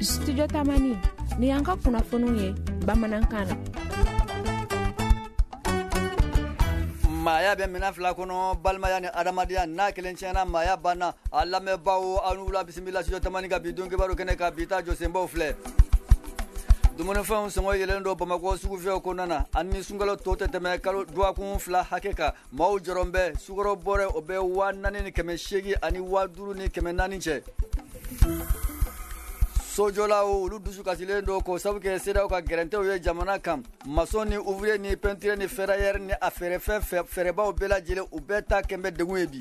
Studio Tamani, ni y'an ka kunnafoniw ye bamanankan na. Maaya bɛ minɛn fila kɔnɔ, balimaya ni adamadenya. N'a kelen tiɲɛna, maaya banna. A lamɛnbaaw, aw ni wula, bisimila Studio Tamani ka bi don kibaru kɛnɛ kan. Bi ta jɔsenbaw filɛ: dumunifɛnw sɔngɔ yɛlɛlen don Bamakɔ sugufiyɛw kɔnɔna na, ani sunkalo tɔ tɛ tɛmɛ kalo dɔgɔkun 2 hakɛ kan, maaw jɔrɔn bɛ. Sukaro bɔrɛ, o bɛ 4800 ani 5400 cɛ. Sojɔlaw, olu dusu kasilen don k'o sabu kɛ CEDEAO ka gɛrɛntɛw ye jamana kan. Maçon ni ouvrier ni peinture ni ferrailleur ni a feerefɛn fɛɛrɛbaw bɛɛ lajɛlen, u bɛɛ ta kɛn bɛ degun ye bi.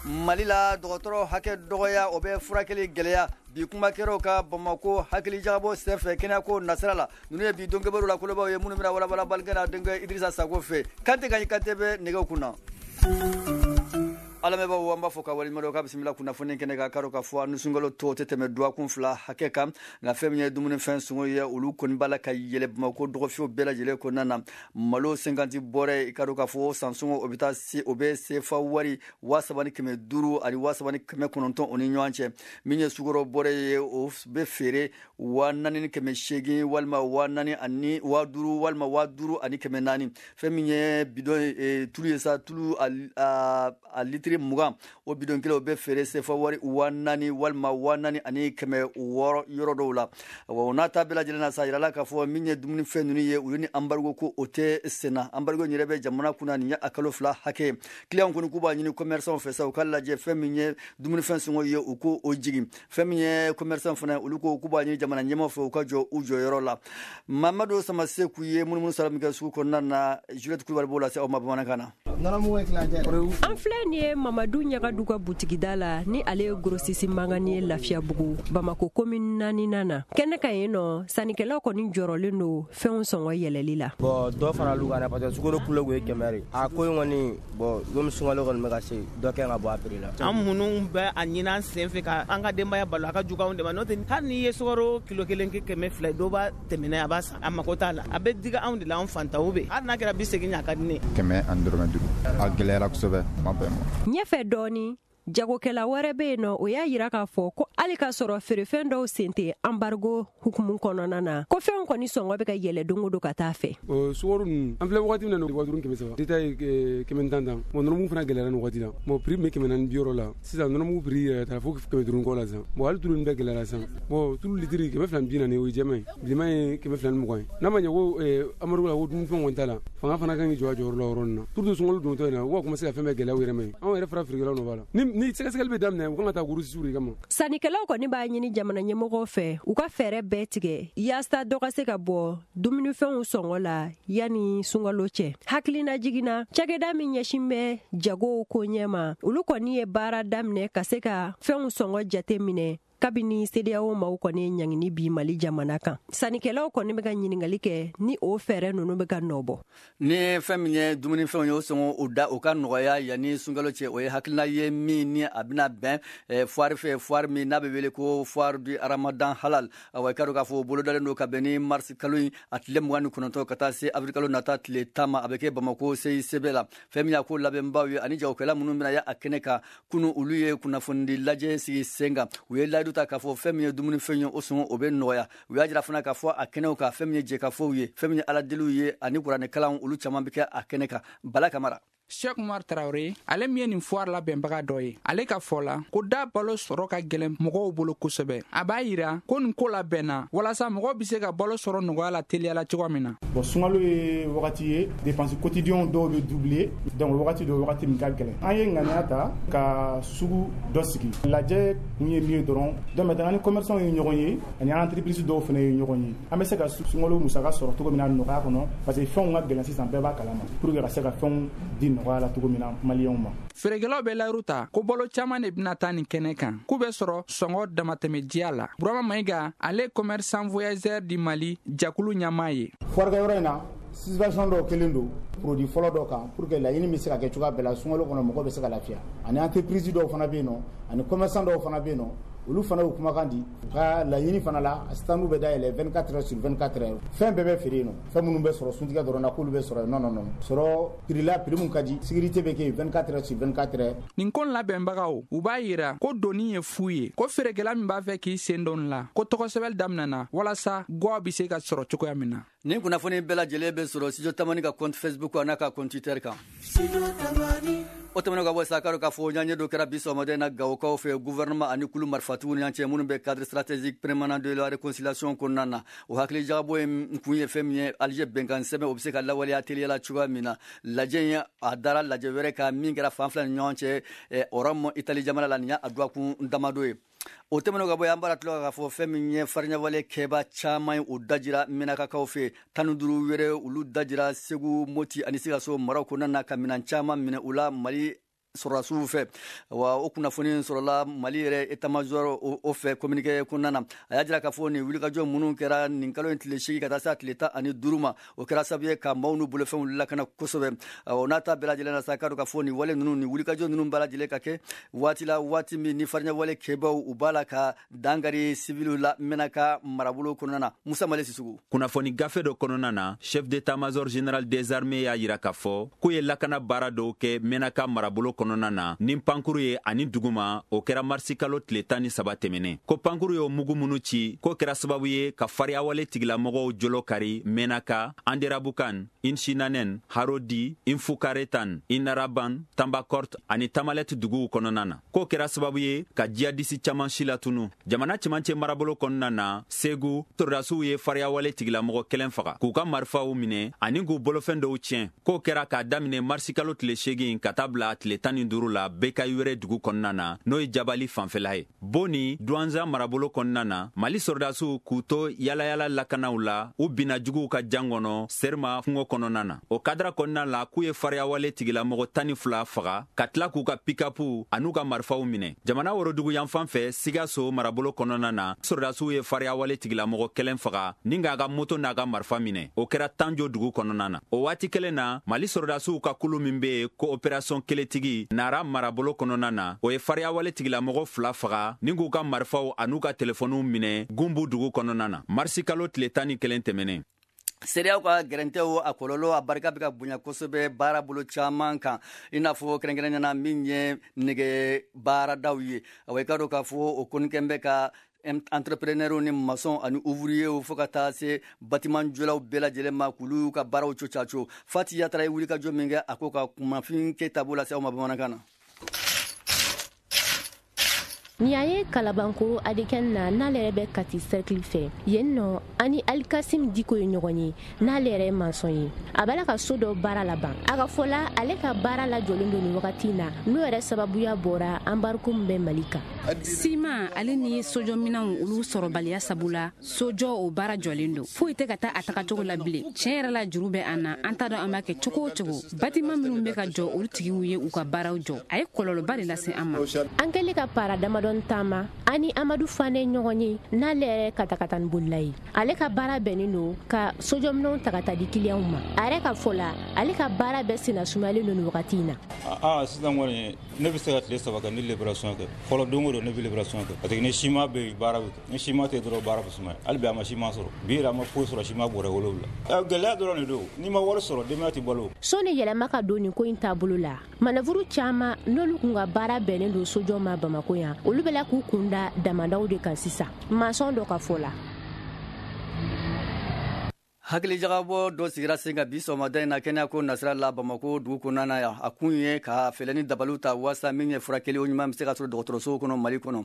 Mali la, dɔgɔtɔrɔ hakɛ dɔgɔya, o bɛ furakɛli gɛlɛya. Bi kumakɛraw ka Bamako hakilijagabɔ senfɛ kɛnɛyako nasira la. Ninnu ye bi don kibaru la kolobaw ye minnu bɛna walawala balikɛ n'a denkɛ Idrissa Sako fɛ. Kante Gaɲi Kante bɛ nɛgɛw kunna. Alamɛbaaw, an b'a fɔ ka waleɲuman dɔn, k'a bisimila kunnafoni kɛnɛ kan. Karo ka fɔ ni sunkalo tɔ tɛ tɛmɛ dɔgɔkun 2 hakɛ kan, nka fɛn min ye dumunifɛn sɔngɔ ye, olu kɔni b'a la ka yɛlɛ Bamakɔ dɔgɔfiyew bɛɛ lajɛlen kɔnɔna na. Malo 50 bɔrɛ, i ka dɔn k'a fɔ san sɔngɔ, o bɛ taa se, o bɛ sefa wari 3500 ani 3900 o ni ɲɔgɔn cɛ. Min ye sukaro bɔrɛ ye, o bɛ feere 4800 walima 4000 ani 5000 walima 5400. Fɛn min ye bidɔn ye, tulu ye sa, tulu a litiri 20, o bidɔn kelen, o bɛ feere sefa wari 4000 walima 4600 yɔrɔ dɔw la. O n'a ta bɛɛ lajɛlen na sa, yirala k'a fɔ min ye dumunifɛn ninnu ye, olu ni embargo ko o tɛ senna. Embargo in yɛrɛ bɛ jamana kunna nin ye a kalo 2 hakɛ. Client kɔni k'u b'a ɲini commerçant fɛ sa, u ka lajɛ fɛn min ye dumunifɛn sɔngɔ ye, u ko o jigin. Fɛn min ye commerçant fana, olu ko k'u b'a ɲini jamana ɲɛmaaw fɛ, u ka jɔ u jɔyɔrɔ la. Mamadu Samaseku ye munumunu sara min kɛ sugu kɔnɔna na, Juliette Kulubali b'o lase aw ma bamanankan na. An filɛ nin ye Mamadu Ɲagadu ka butigida la, ni ale ye grossiste mangani ye Lafiyabugu, Bamako commune naaninan na. Kɛnɛ kan yen nɔ, sannikɛlaw kɔni jɔrɔlen don fɛnw sɔngɔ yɛlɛli la. Bon, dɔ faral'u kan dɛ, parce que sukaro kilo kun ye 100 de. A ko in kɔni, bon, komi sunkalo kɔni bɛ ka se, dɔ kɛ ka bɔ a prix la. An minnu bɛ a ɲini an sen fɛ ka an ka denbaya balo, a ka jugu anw de ma. N'o tɛ, hali n'i ye sukaro kilo kelen kɛ 200, dɔ b'a tɛmɛ n'a ye, a b'a san, a mako t'a la. A bɛ diga anw de la, anw fantanw bɛ. Hali n'a kɛra 80, a ka di ne ye. 105, a gɛlɛyara kosɛbɛ, ma bɛn ma. Ɲɛfɛ dɔɔni, jagokɛla wɛrɛ bɛ yen nɔ, o y'a yira k'a fɔ ko hali k'a sɔrɔ feerefɛn dɔw sen tɛ embargo hukumu kɔnɔna na, ko fɛnw kɔni sɔngɔ bɛ ka yɛlɛ don o don ka taa fɛ. Sukaro ninnu, an filɛ wagati min na, 5000 300, détail ye 110 tan. Bon, nɔnɔmugu fana gɛlɛyara nin wagati la. Bon, prix bɛ 460 la sisan, nɔnɔmugu prix yɛrɛ taara fo 500 kɔ la sisan. Bon, hali tulu ninnu bɛɛ gɛlɛyara sisan. Bon, tulu litiri 240, o ye jɛman ye, bilenman ye 220 ye. N'a ma ɲɛ ko embargo la, ko dumunifɛn kɔni t'a la, fanga fana kan k'i jɔ a jɔyɔrɔ la yɔrɔ nin na, surtout sunkalo dontɔ in na, u ka commencer ka fɛn bɛɛ gɛlɛya u yɛrɛ ma ye. Anw yɛrɛ fara feerekɛlaw nɔ b'a la, ni sɛgɛsɛgɛli bɛ daminɛ, u kan ka taa grossiste de kama. Sannikɛlaw kɔni b'a ɲini jamana ɲɛmɔgɔw fɛ, u ka fɛɛrɛ bɛɛ tigɛ yaasa dɔ ka se ka bɔ dumunifɛnw sɔngɔ la yanni sunkalo cɛ. Hakilina jiginna, cakɛda min ɲɛsin bɛ jagow ko ɲɛ ma, olu kɔni ye baara daminɛ ka se ka fɛnw sɔngɔ jate minɛ kabini CEDEAO maaw kɔni ye ɲangini bi Mali jamana kan. Sannikɛlaw kɔni bɛ ka ɲininkali kɛ ni o fɛɛrɛ ninnu bɛ ka nɔ bɔ. Ni fɛn min ye dumunifɛnw ye, o sɔngɔ o da o ka nɔgɔya yanni sunkalo cɛ, o ye hakilina ye min ni a bɛna bɛn foire fɛ, foire min n'a bɛ wele ko foire du Ramadan halal. Awa, i ka dɔn k'a fɔ o bolodalen don ka bɛn ni mars kalo in a tile 29 ka taa se avril kalo nata tile 10 ma. A bɛ kɛ Bamako CICB la. Fɛn min y'a ko labɛnbaw ye ani jagokɛla minnu bɛna ye a kɛnɛ kan, kunu olu ye kunnafonidi lajɛ sigi sen kan. U ye layidu ta k'a fɔ fɛn min ye dumunifɛn ye, o sɔngɔ o bɛ nɔgɔya. U y'a jira fana k'a fɔ a kɛnɛw kan, fɛn min ye jɛkafɔw ye, fɛn min ye aladeliw ye ani kuranɛkalanw, olu caman bɛ kɛ a kɛnɛ kan. Bala Kamara. Cheikh Umar Traoré, ale min ye nin foire labɛnbaga dɔ ye, ale ka fɔ la ko da balo sɔrɔ ka gɛlɛn mɔgɔw bolo kosɛbɛ. A b'a yira ko nin ko labɛnna walasa mɔgɔw be se ka balo sɔrɔ nɔgɔya la teliya la cogo min na. Bon, sunkalo ye wagati ye, dépense quotidien dɔw bɛ doubler, donc wagati dɔ, wagati min ka gɛlɛn, an ye ŋaniya ta ka sugu dɔ sigi. Lajɛ kun ye min ye dɔrɔn, donc maintenant ni commerçant ye ɲɔgɔn ye ani entreprise dɔw fana ye ɲɔgɔn ye, an bɛ se ka sunkalo musaka sɔrɔ cogo min na nɔgɔya kɔnɔ, parce que fɛnw ka gɛlɛn sisan, bɛɛ b'a kalama, pour que ka se ka fɛnw di nɔgɔya la cogo min na maliyɛnw ma. Feerekɛlaw bɛ layiru ta ko balo caman de bɛna taa nin kɛnɛ kan, k'u bɛ sɔrɔ sɔngɔ damatɛmɛdiya la. Burama Mayiga, ale commerçant voyageur du Mali jakulu ɲɛmaa ye. Foire in na, situation dɔw kelen don produit fɔlɔ dɔ kan pour que laɲini bɛ se ka kɛ cogoya bɛɛ la, sunkalo kɔnɔ mɔgɔ bɛ se ka lafiya, ani entreprise dɔw fana bɛ yen nɔ, ani commerçant dɔw fana bɛ yen nɔ. Olu fana y'u kumakan di, u ka laɲini fana la, a standw bɛ dayɛlɛ 24 heures sur 24 heures. Fɛn bɛɛ bɛ feere yen nɔ, fɛn minnu bɛ sɔrɔ suntigɛ dɔrɔn na, k'olu bɛ sɔrɔ yen. Non non non, sɔrɔ prix la, prix mun ka di, sécurité bɛ kɛ yen 24 heures sur 24 heures. Nin ko labɛnbagaw, u b'a yira ko doni ye fu ye, ko feerekɛla min b'a fɛ k'i sen don la, ko tɔgɔsɛbɛli daminɛna walasa gwaw bɛ se ka sɔrɔ cogoya min na. Nin kunnafoni bɛɛ lajɛlen bɛ sɔrɔ Studio Tamani ka compte Facebook a n'a ka compte Twitter kan. O tɛmɛnen ka bɔ sa, k'a fɔ ɲaɲɛ dɔ kɛra bi sɔgɔmada in na Gawokaw fɛ, gouvernement ani kulu marifatigiw ni ɲɔgɔn cɛ minnu bɛ cadre stratégique permanent de la réconciliation kɔnɔna na. O hakili jagabɔ in kun ye fɛn min ye, Alger bɛnkan sɛbɛn, o bɛ se ka lawaleya teliya la cogoya min na. Lajɛ in, a dara lajɛ wɛrɛ kan min kɛra fan fila ni ɲɔgɔn cɛ Rome, Italie jamana la. Nin y'a dɔgɔkun damadɔ ye. O tɛmɛnen ka bɔ yen, an b'a tila k'a fɔ fɛn min ye fariɲawale kɛba caman ye, o dajira Menakakaw fɛ. 15 wɛrɛ, olu dajira Segu, Moti ani Sikaso maraw kɔnɔna na, ka minɛn caman minɛ u la Mali sɔrɔdasiw fɛ. Wa o kunnafoni sɔrɔla Mali yɛrɛ état major o fɛ communiqué kɔnɔna na. A y'a jira k'a fɔ nin wulikajɔ minnu kɛra nin kalo in tile 8 ka taa se a tile 15 ma, o kɛra sababu ye ka maaw n'u bolofɛnw lakana kosɛbɛ. O n'a ta bɛɛ lajɛlen na sa, k'a dɔn k'a fɔ nin wale ninnu, nin wulikajɔ ninnu bɛɛ lajɛlen ka kɛ waati la, waati min ni fariɲawale kɛbaw, u b'a la ka dankari civiliw la Menaka marabolo kɔnɔna na. Musa Male Sisugu. Kunnafoni gafe dɔ kɔnɔna na, chef d'état-major général des armées y'a yira k'a fɔ k'u ye lakana baara dɔw kɛ Menaka marabolo kɔnɔna na ni pankuru ye ani duguma. O kɛra marisi kalo tile 13 tɛmɛnen. Ko pankuru y'o mugu minnu ci, k'o kɛra sababu ye ka fariyawale tigilamɔgɔw jolo kari Menaka, Anderabukan, Inchinanen, Harodi, Infukaretan, Inaraban, Tambakort ani Tamalet duguw kɔnɔna na. K'o kɛra sababu ye ka jihadisi caman si latunu. Jamana cɛmancɛ marabolo kɔnɔna na, Segu, sɔrɔdasiw ye fariyawale tigilamɔgɔ kelen faga, k'u ka marifaw minɛ ani k'u bolofɛn dɔw tiɲɛ. K'o kɛra k'a daminɛ marisi kalo tile 8 ka taa bila tile 15 la Bekayiwɛrɛ dugu kɔnɔna na, n'o ye Jabali fanfɛla ye. Boni Duwanza marabolo kɔnɔna na, Mali sɔrɔdasiw k'u to yalayala lakanaw la, u binna juguw ka jan kɔnɔ Serima kungo kɔnɔna na. O kadara kɔnɔna la, k'u ye fariyawale tigilamɔgɔ 12 faga, ka tila k'u ka pikapu an'u ka marifaw minɛ. Jamana worodugu yanfan fɛ, Sikaso marabolo kɔnɔna na, sɔrɔdasiw ye fariyawale tigilamɔgɔ kelen faga ni k'a ka moto n'a ka marifa minɛ. O kɛra Tanjo dugu kɔnɔna na. O waati kelen na, Mali sɔrɔdasiw ka kulu min bɛ yen ko opération Keletigi, Nara marabolo kɔnɔna na, o ye fariyawale tigilamɔgɔ 2 faga ni k'u ka marifaw an'u ka telefɔniw minɛ Gunbu dugu kɔnɔna na, marisi kalo tile 11 tɛmɛnen. CEDEAO ka gɛrɛntɛw, a kɔlɔlɔ, a barika bɛ ka bonya kosɛbɛ baara bolo caman kan, i n'a fɔ kɛrɛnkɛrɛnnenya na min ye nɛgɛ baaradaw ye. Awa, i ka dɔn k'a fɔ o kɔni kɛn bɛ ka entrepreneur ni maçon ani ouvrier, fo ka taa se bâtiment jɔlaw bɛɛ lajɛlen ma, k'olu ka baaraw co caco. Fati Yatara ye wulikajɔ min kɛ a ko ka kumafin keyita b'o lase aw ma bamanankan na. Nin y'a ye Kalabankoro Adekɛn na, n'ale yɛrɛ bɛ Kati cercle fɛ yen nɔ. Ani Alikasim Diko ye ɲɔgɔn ye, n'ale yɛrɛ ye maçon ye. A b'a la ka so dɔ baara laban. A ka fɔ la, ale ka baara lajɔlen don nin wagati in na, n'o yɛrɛ sababuya bɔra embargo min bɛ Mali kan. Siman ale ni sojɔminɛnw, olu sɔrɔbaliya sabu la, sojɔ o baara jɔlen don, foyi tɛ ka taa a tagacogo la bilen. Tiɲɛ yɛrɛ la, juru bɛ an na, an t'a dɔn an b'a kɛ cogo o cogo. Bâtiment minnu bɛ ka jɔ, olu tigiw ye u ka baaraw jɔ. A ye kɔlɔlɔba de lase an ma. An kɛlen ka para damadɔ taama, ani Amadu Fane ɲɔgɔn ye, n'ale yɛrɛ katakatani bolila ye. Ale ka baara bɛnnen don ka sojɔminɛnw ta ka taa di kiliyanw ma. A yɛrɛ ka fɔ la, ale ka baara bɛɛ senna sumayalen don nin wagati in na. Aa, sisan kɔni, ne bɛ se ka tile 3 kɛ ni livraison kɛ. Fɔlɔ, don o don ne bɛ livraison kɛ, parce que ni siman bɛ yen, baara bɛ kɛ. Ni siman tɛ dɔrɔn, baara bɛ sumaya. Hali bi a ma siman sɔrɔ, bi yɛrɛ a ma foyi sɔrɔ, siman bɔrɛ 7. Gɛlɛya dɔrɔn de don. N'i ma wari sɔrɔ, denbaya tɛ balo. Sɔnni yɛlɛma ka don nin ko in taabolo la, manœuvre caman n'olu kun ka baara bɛnnen don sojɔ ma Bamako yan, olu bɛ la k'u kun da damadaw de kan sisan, maçon dɔ ka fɔ la. Hakilijagabɔ dɔ sigira sen kan bi sɔgɔmada in na kɛnɛyako nasira la Bamako dugu kɔnɔna na yan. A kun ye ka fɛɛrɛ ni dabaliw ta waasa min ye furakɛli o ɲuman bɛ se ka sɔrɔ dɔgɔtɔrɔsow kɔnɔ Mali kɔnɔ.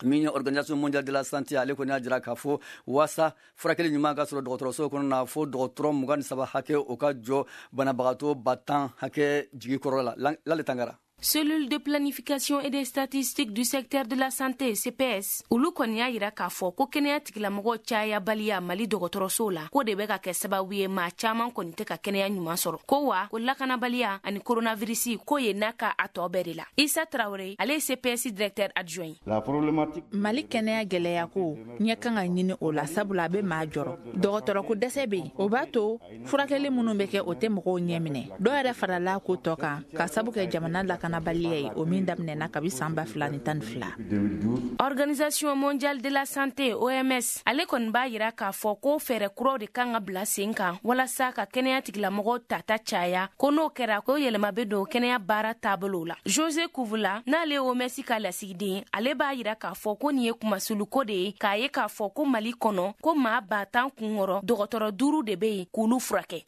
Min ye Organisation mondiale de la santé, ale kɔni y'a jira k'a fɔ waasa furakɛli ɲuman ka sɔrɔ dɔgɔtɔrɔso kɔnɔ na, fo dɔgɔtɔrɔ 23 hakɛ, o ka jɔ banabagatɔ 10 000 hakɛ jigi kɔrɔ la. Lale Tangara. Cellule de planification et des statistiques du secteur de la santé, CPS, olu kɔni y'a yira k'a fɔ ko kɛnɛya tigilamɔgɔ cayabaliya Mali dɔgɔtɔrɔsow la, ko de bɛ ka kɛ sababu ye maa caaman kɔni tɛ ka kɛnɛya ɲuman sɔrɔ. Ko wa ko lakanabaliya ani coronavirus ko ye n'a ka a tɔ bɛɛ de la. Isa Traoré, ale ye CPS directeur adjoint. La problématique Mali kɛnɛya gɛlɛya ko ɲɛ kan ka ɲini o la, sabula a bɛ maa jɔrɔ. Dɔgɔtɔrɔko dɛsɛ bɛ yen, o b'a to furakɛli minnu bɛ kɛ, o tɛ mɔgɔw ɲɛ minɛ. Dɔw yɛrɛ farala ko tɔ kan ka sabu kɛ jamana lakana. lakanabaliya ye, o min daminɛna kabi san 2012. Organisation mondiale de la santé, OMS, ale kɔni b'a yira k'a fɔ ko fɛɛrɛ kuraw de kan ka bila sen kan walasa ka kɛnɛya tigilamɔgɔw tata caya, ko n'o kɛra ko yɛlɛma bɛ don kɛnɛya baara taabolo la. Jose Kuvula, n'ale ye OMS ka lasigiden, ale b'a yira k'a fɔ ko nin ye kumasuluko de ye, k'a ye k'a fɔ ko Mali kɔnɔ ko maa 10 000 kun kɔrɔ, dɔgɔtɔrɔ 5 de bɛ yen k'olu furakɛ.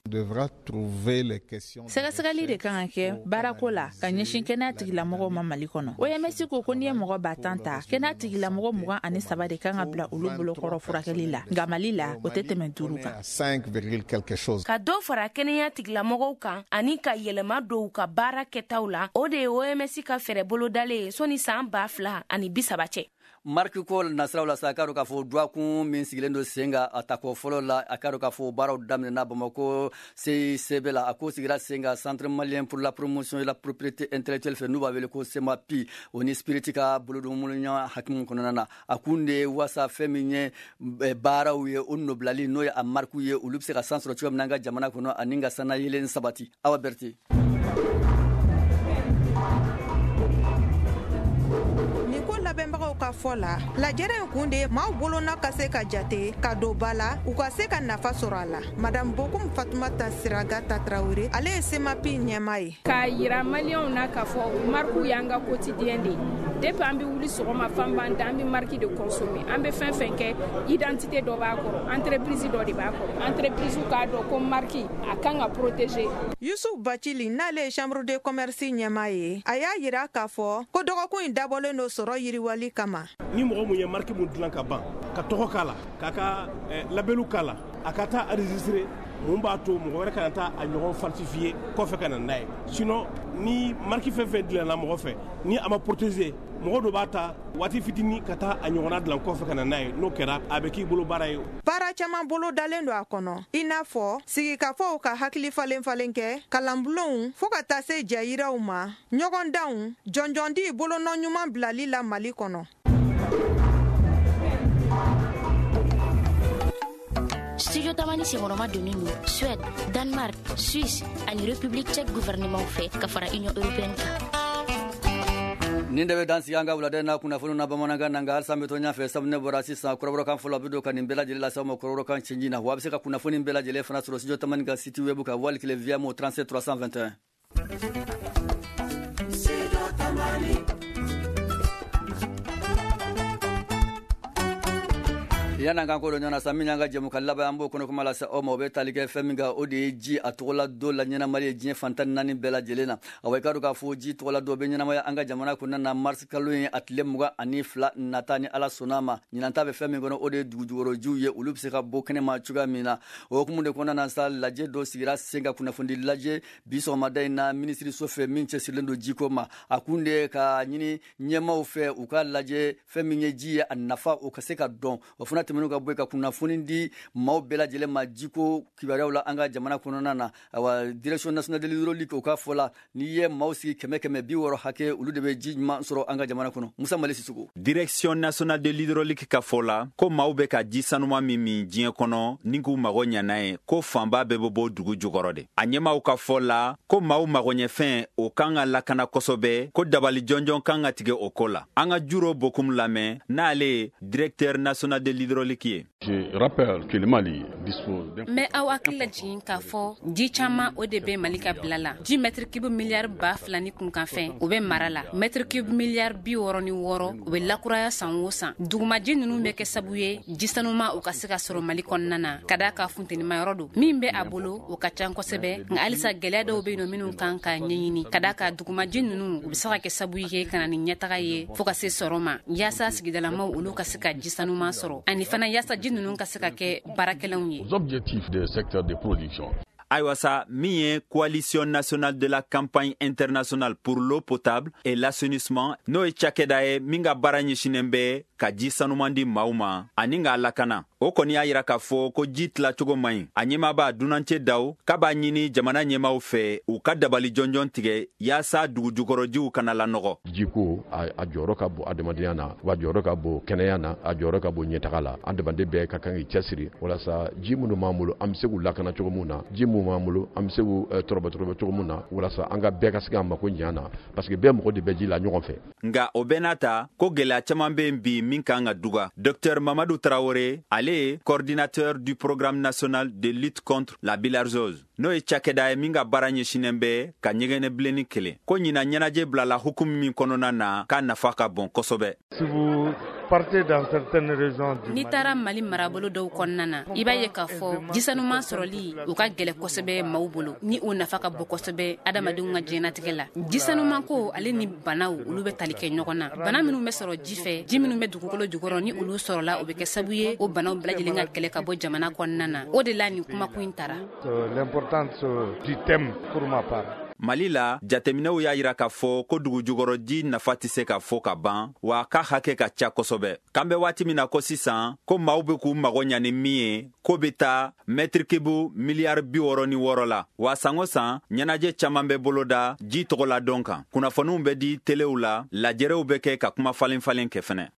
Sɛgɛsɛgɛli de kan ka kɛ baarako la ka ɲɛsin kɛnɛya tigilamɔgɔw ma Mali kɔnɔ. OMS ko n'i ye mɔgɔ 10 000 ta, kɛnɛya tigilamɔgɔ 23 de kan ka bila olu bolokɔrɔ furakɛli la, nka Mali la o tɛ tɛmɛ 5 kan. Ka dɔ fara kɛnɛya tigilamɔgɔw kan ani ka yɛlɛma don u ka baara kɛtaw la, o de ye OMS ka fɛɛrɛ bolodalen ye sɔnni san 2030 cɛ. Marque ko nasiraw la sa, a k'a dɔn k'a fɔ dɔgɔkun min sigilen don sen kan, a tako fɔlɔ la, a k'a dɔn k'a fɔ baaraw daminɛna Bamakɔ CICB la. A ko sigira sen kan Centre malien pour la promotion et la propriété intellectuelle fɛ, n'u b'a wele ko CEMAPI, o ni Spirit ka bolodonmoloɲɔgɔn hakimu kɔnɔna na. A kun de ye wasa fɛn min ye baaraw ye, o nɔbilali, n'o ye a marque ye, olu bɛ se ka san sɔrɔ cogoya min na an ka jamana kɔnɔ ani ka sanayɛlɛn sabati. Awa Berete. Nin ko labɛnbagaw ka fɔ la, lajɛrɛ in kun de ye maaw bolona ka se ka jate ka don ba la, u ka se ka nafa sɔrɔ a la. Madame Bokum Fatumata Siragata Tarawele, ale ye SEMAPI ɲɛma ye. K'a yira Maliyɛnw na k'a fɔ marque y'an ka quotidien de ye. Depuis an bɛ wuli sɔgɔma fan b'an da, an bɛ marque de consommer. An bɛ fɛn fɛn kɛ, identité dɔ b'a kɔrɔ, entreprise dɔ de b'a kɔrɔ. Entreprise k'a dɔn ko marque a kan ka protéger. Yusuf Bacili, n'ale ye chambre de commerce ɲɛma ye, a y'a yira k'a fɔ ko dɔgɔkun in dabɔlen don sɔrɔ yiriwali kama. Ni mɔgɔ mun ye marque mun dilan ka ban, ka tɔgɔ k'a la, k'a ka labelu k'a la, a ka taa enregistrer, mun b'a to mɔgɔ wɛrɛ kana taa a ɲɔgɔn falsifier kɔfɛ ka na n'a ye? Sinon ni marque fɛn fɛn dilanna mɔgɔ fɛ, ni a ma protéger, mɔgɔ dɔ b'a ta waati fitinin ka taa a ɲɔgɔnna dilan kɔfɛ ka na n'a ye. N'o kɛra, a bɛ k'i bolo baara ye. Baara caman bolo dalen don a kɔnɔ, i n'a fɔ sigikafɔw, ka hakili falen falen kɛ, kalanbulonw, fɔɔ ka taa se jɛyiraw ma, ɲɔgɔndanw, jɔnjɔndi bolonɔ ɲuman bilali la Mali kɔnɔ. Studio Tamani senkɔrɔma donnen don Suède, Danemark, Suisse ani République tchèque gouvernement fɛ ka fara Union européenne kan. Nin de bɛ dan sigi an ka wulada na kunnafoni na bamanankan na. Nka halisa an bɛ to ɲɛfɛ, sabu ne bɔra sisan, kɔrɔbɔrɔkan fɔlɔ bɛ don ka nin bɛɛ lajɛlen lase aw ma kɔrɔbɔrɔkan cɛnji na. Wa a bɛ se ka kunnafoni bɛɛ lajɛlen fana sɔrɔ Studio Tamani ka site web kan, wali kelen via mo 37 321. Studio Tamani. Yan'an kan ko dɔ ɲɔgɔn na sa, min y'an ka jɛmukan laban, an b'o kɔnɔ kuma lase aw ma, o bɛ tali kɛ fɛn min kan, o de ye ji a tɔgɔla don la ɲɛnamali ye diɲɛ fan 14 bɛɛ lajɛlen na. Awa, i k'a dɔn k'a fɔ ji tɔgɔla don bɛ ɲɛnamaya an ka jamana kɔnɔna na marisi kalo ye a tile 22 nata, ni Ala sɔnna ma. Ɲinan ta bɛ fɛn min kɔnɔ, o de ye dugujukɔrɔjiw ye, olu bɛ se ka bɔ kɛnɛma cogoya min na. O hukumu de kɔnɔna na sa, lajɛ dɔ sigira sen ka, kunnafoni lajɛ, bi sɔgɔmada in na minisiriso fɛ min cɛsirilen don jiko ma. A kun de ye ka ɲini ɲɛmaaw fɛ u ka lajɛ fɛn min ye ji ye, a nafa o ka se ka dɔn. O fana tɛmɛnen ka bɔ yen, ka kunnafoni di maaw bɛɛ lajɛlen ma jiko kibaruyaw la an ka jamana kɔnɔna na. Awa, Direction nationale de l'hydraulique, o ka fɔ la, n'i ye maaw sigi 100 100, 60 hakɛ, olu de bɛ ji ɲuman sɔrɔ an ka jamana kɔnɔ. Musa Mali Sisoko. Direction nationale de l'hydraulique ka fɔ la ko maaw bɛ ka ji sanuman min min diɲɛ kɔnɔ ni k'u mago ɲa n'a ye, ko fanba bɛɛ bɛ bɔ dugu jukɔrɔ de. A ɲɛmaw ka fɔ la ko maaw magoɲɛfɛn, o kan ka lakana kosɛbɛ, ko dabali jɔnjɔn kan ka tigɛ o ko la. An ka Juro Bokum lamɛn, n'ale ye directeur national de l'hydraulique ye. Je rappelle que le Mali dispose N bɛ aw hakili lajigin k'a fɔ ji caman o de bɛ Mali ka bila la. Ji mètre cube miliyari 2000 ni kunkanfɛn, o bɛ mara la. Mètre cube miliyari 66, o bɛ lakuraya san o san. Dugumaji ninnu bɛ kɛ sabu ye ji sanuma o ka se ka sɔrɔ Mali kɔnɔna na, ka d'a ka funtenima yɔrɔ don min bɛ a bolo, o ka ca kosɛbɛ. Nka halisa gɛlɛya dɔw bɛ yen nɔ minnu kan ka ɲɛɲini, ka d'a ka dugumaji ninnu, u bɛ se ka kɛ sabu ye ka na ni ɲɛtaga ye fɔɔ ka se sɔrɔ ma, yaasa sigidalamaw olu ka se ka ji sanuman sɔrɔ, ani fana yaasa ji ninnu ka se ka kɛ baarakɛlanw ye. Aux objectifs des secteurs de production. Ayiwa sa, min ye Coalition nationale de la campagne internationale pour l'eau potable et l'assainissement, n'o ye cakɛda ye min ka baara ɲɛsinen bɛ ka ji sanuman di maaw ma ani k'a lakana, o O kɔni y'a yira k'a fɔ ko ji tilacogo man ɲi. A ɲɛmaaba Dunancɛ Daw k'a b'a ɲini jamana ɲɛmaaw fɛ, u ka dabali jɔnjɔn tigɛ yaasa dugujukɔrɔjiw kana lanɔgɔ. Jiko, a jɔyɔrɔ ka bon adamadenya na, wa jɔyɔrɔ ka bon kɛnɛya na, a jɔyɔrɔ ka bon ɲɛtaga la. Adamaden bɛɛ ka kan k'i cɛsiri walasa ji minnu b'an bolo, an bɛ se k'u lakana cogo min na, ji minnu b'an bolo, an bɛ se k'u tɔrɔbɔ cogo min na, walasa an ka bɛɛ ka se k'an mako ɲɛ na, parce que bɛɛ mɔgɔ de bɛ ji la ɲɔgɔn fɛ. Nka o bɛɛ n'a ta, ko gɛlɛya caman bɛ yen bi min kan ka duga. Docteur Mamadu Tarawele, ale ye coordinateur du programme national de lutte contre la bilharziose, n'o ye cakɛda ye min ka baara ɲɛsinnen bɛ ka ɲɛgɛnɛ bilenni kɛlɛ, ko ɲinan ɲɛnajɛ bilala hukumu min kɔnɔna na, k'a nafa ka bon kosɛbɛ. N'i taara Mali marabolo dɔw kɔnɔna na, i b'a ye k'a fɔ jisanuman sɔrɔli o ka gɛlɛ kosɛbɛ maaw bolo, ni o nafa ka bon kosɛbɛ adamadenw ka diɲɛnatigɛ la. Jisanuman ko ale ni banaw, olu bɛ tali kɛ ɲɔgɔn na. Bana minnu bɛ sɔrɔ ji fɛ, ji minnu bɛ dugukolo jukɔrɔ, ni olu sɔrɔla, o bɛ kɛ sababu ye o banaw bɛɛ lajɛlen ka kɛlɛ ka bɔ jamana kɔnɔna na. O de la nin kumakun in tara. L'importance du thème pour ma part. Mali la, jateminɛw y'a yira k'a fɔ ko dugujukɔrɔji nafa tɛ se ka fɔ ka ban, wa k'a hakɛ ka ca kosɛbɛ. K'an bɛ waati min na ko sisan, ko maaw bɛ k'u mago ɲa ni min ye, k'o bɛ taa mètre cube miliyari 66 la. Wa san o san, ɲɛnajɛ caman bɛ boloda ji tɔgɔla dɔn kan, kunnafoniw bɛ di telew la, lajɛrɛw bɛ kɛ ka kuma falen falen kɛ fɛnɛ.